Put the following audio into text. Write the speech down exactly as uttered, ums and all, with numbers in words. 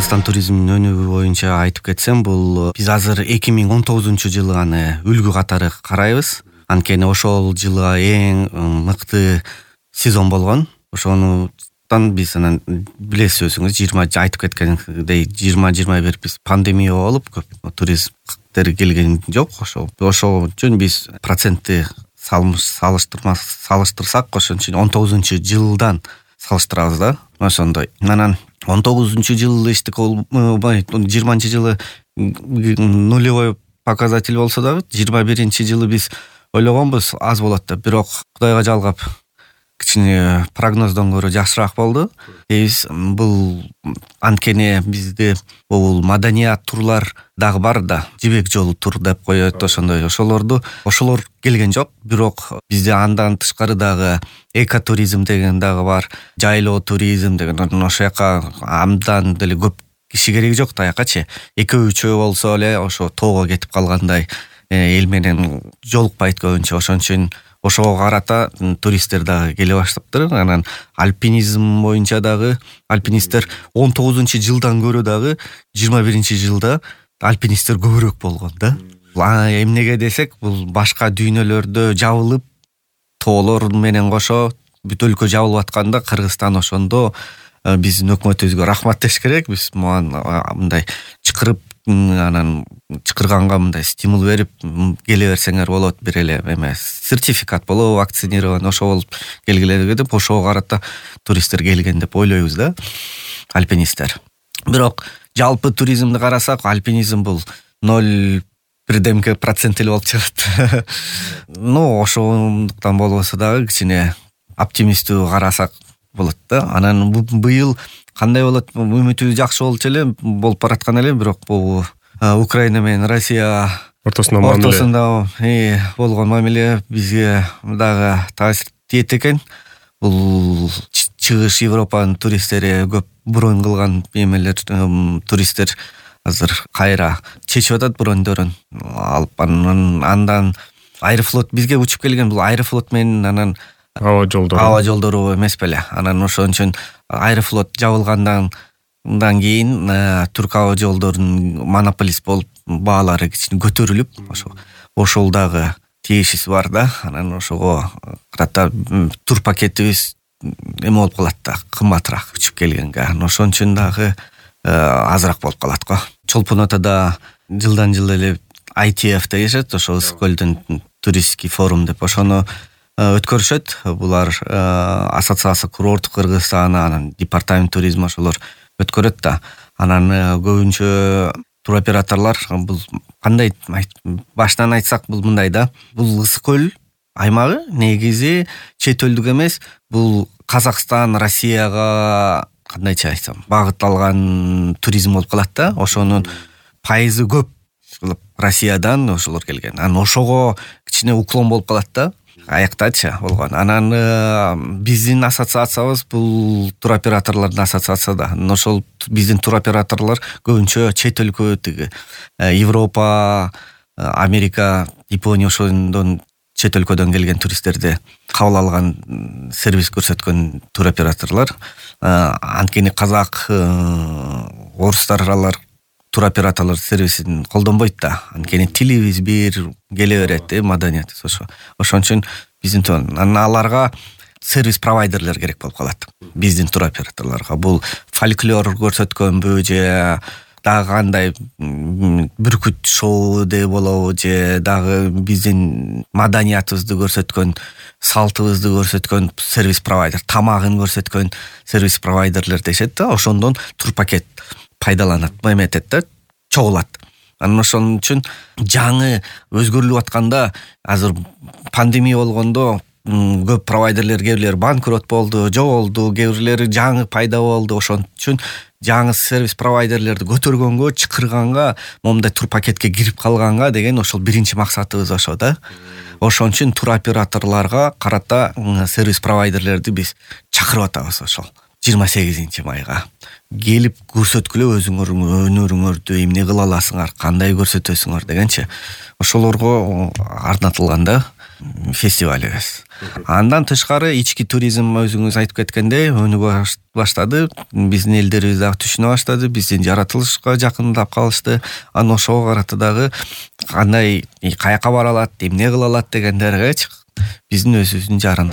Кыргызстан туризминин өнүгүү боюнча айтып кетсем, бул биз азыр эки миң он тогузунчу жылы аны үлгү катары карайбыз. Анткени ошол жылы эң мыкты сезон болгон. Ошонудан биз анан билесиз өзүңүз жыйырма айтып кеткендей жыйырма жыйырма бир биз пандемия болуп көп туристтер келген жок. Ошо ошол үчүн биз процентти салыштырмас салыштырсак, ошон үчүн он тогузунчу жылдан салыштырабыз да. Ошондой. Анан он тогузунчу жылы эчтеке болбой, жыйырманчы жылы нулевой показатель болсо дагы, жыйырма биринчи жылы биз ойлогонбуз аз болот деп, бирок Кудайга жалгап кичине прогноздон көрө жакшыраак болду. Биз бул анткени бизде бул маданият турлар дагы бар да, жибек жолу тур деп коет, ошондой. Ошолорду ошолор келген жок, бирок бизде андан тышкары дагы экотуризм деген дагы бар, жайлоо туризм деген. Ошол жака абдан деле көп киши кереги жок да, аякачы. Экөө үчөө болсо эле ошо тоого кетип калгандай эл менен жолукпайт көбүнчө. Ошон үчүн ошого карата туристтер дагы келе баштаптыр. Анан альпинизм боюнча дагы альпинисттер он тогузунчу жылдан көрө дагы жыйырма биринчи жылда альпинисттер көбүрөөк болгон да. Эмнеге десек, бул башка дүйнөлөрдө жабылып, тоолор менен кошо бүт өлкө жабылып атканда Кыргызстан ошондо биздин өкмөтүбүзгө рахмат деш керек. Биз мындай чакырып, анан чакырганга мындай стимул берип, келе берсеңер болот, бир эле эме сертификат болобу, вакцинирован ошо болуп келгиле деп, ошого карата туристтер келген деп ойлойбуз да, альпинисттер. Бирок жалпы туризмди карасак, альпинизм бул ноль бирдемке процент эле болуп чыгат. Ну, ошондуктан болбосо дагы кичине оптимисттүү карасак болот да. Анан быйыл кандай болот? Үмүтүбүз жакшы болчу эле, болуп бараткан эле, бирок бул Украина менен Россия ортосунда ортосунда болгон мамиле бизге дагы таасир тиет экен. Бул чыгыш Европанын туристтери көп бронь кылган эмелер, туристтер азыр кайра чечип атат броньдорун алып. Андан Аэрофлот бизге учуп келген, бул Аэрофлот менен анан аба жолдору аба жолдору эмес беле. Анан ошон үчүн Аэрофлот жабылгандан Андан кийин Түрк аба жолдорунун монополист болуп баалары кичине көтөрүлүп, ошо ошол дагы тиешеси бар да. Анан ошого карата тур пакетибиз эме болуп калат да, кымбатыраак учуп келгенге. Ошон үчүн дагы азыраак болуп калат го. Чолпон атада жылдан жыл эле ай ти эф дешет, ошо Ысык көлдүн туристский форум деп, ошону өткөрүшөт. Булар ассоциация курорттук Кыргызстан, анан департамент туризм ошолор өткөрөт да. Анан көбүнчө туроператорлор бул кандай баштан айтсак, бул мындай да. Бул Ысык көл аймагы негизи чет элдик эмес, бул Казакстан, Россияга кандайча айтсам, багытталган туризм болуп калат да. Ошонун пайызы көп Россиядан ошолор келген. Анан ошого кичине уклон болуп калат да. Аяктачы болгон. Анан биздин ассоциациябыз бул туроператорлордун ассоциация да. Ошол биздин туроператорлор көбүнчө чет өлкө, тиги Европа, Америка, Япония ошондон чет өлкөдөн келген туристтерди кабыл алган, сервис көрсөткөн туроператорлор. Анткени казак, орустар алар туроператорлор сервисин колдонбойт да. Анткени тилибиз бир келе берет, маданиятыбыз ошо. Ошон үчүн биздин аларга сервис провайдерлер керек болуп калат. Биздин туроператорлорго бул фольклор көрсөткөнбү же дагы кандай бүркүт шоу де болобу же дагы биздин маданиятыбызды көрсөткөн, салтыбызды көрсөткөн сервис провайдер, тамагын көрсөткөн сервис провайдерлер дешет да. Ошондон тур пакет пайдаланат, эметет да, чогулат. Анан ошон үчүн жаңы өзгөрүлүп атканда, азыр пандемия болгондо көп провайдерлер, кээ бирлери банкрот болду, жоголду, кээ бирлери жаңы пайда болду. Ошон үчүн жаңы сервис провайдерлерди көтөргөнгө, чакырганга, момундай тур пакетке кирип калганга деген ошол биринчи максатыбыз ошо да. Ошон үчүн туроператорлорго карата сервис провайдерлерди биз чакырып атабыз ошол жыйырма сегизинчи майга. Келип көрсөткүлө өзүңөрдүн өнөрүңөрдү, эмне кыла аласыңар, кандай көрсөтөсүңөр дегенчи. Ошолорго арнатылган да фестивалыбыз. Андан тышкары ички туризм өзүңүз айтып кеткендей өнүгө баштады. Биздин элдерибиз дагы түшүнө баштады, биздин жаратылышка жакындап калышты. Анан ошого карата дагы кандай каяка бара алат, эмне кыла алат дегендергечи биздин өзүбүздүн жарын.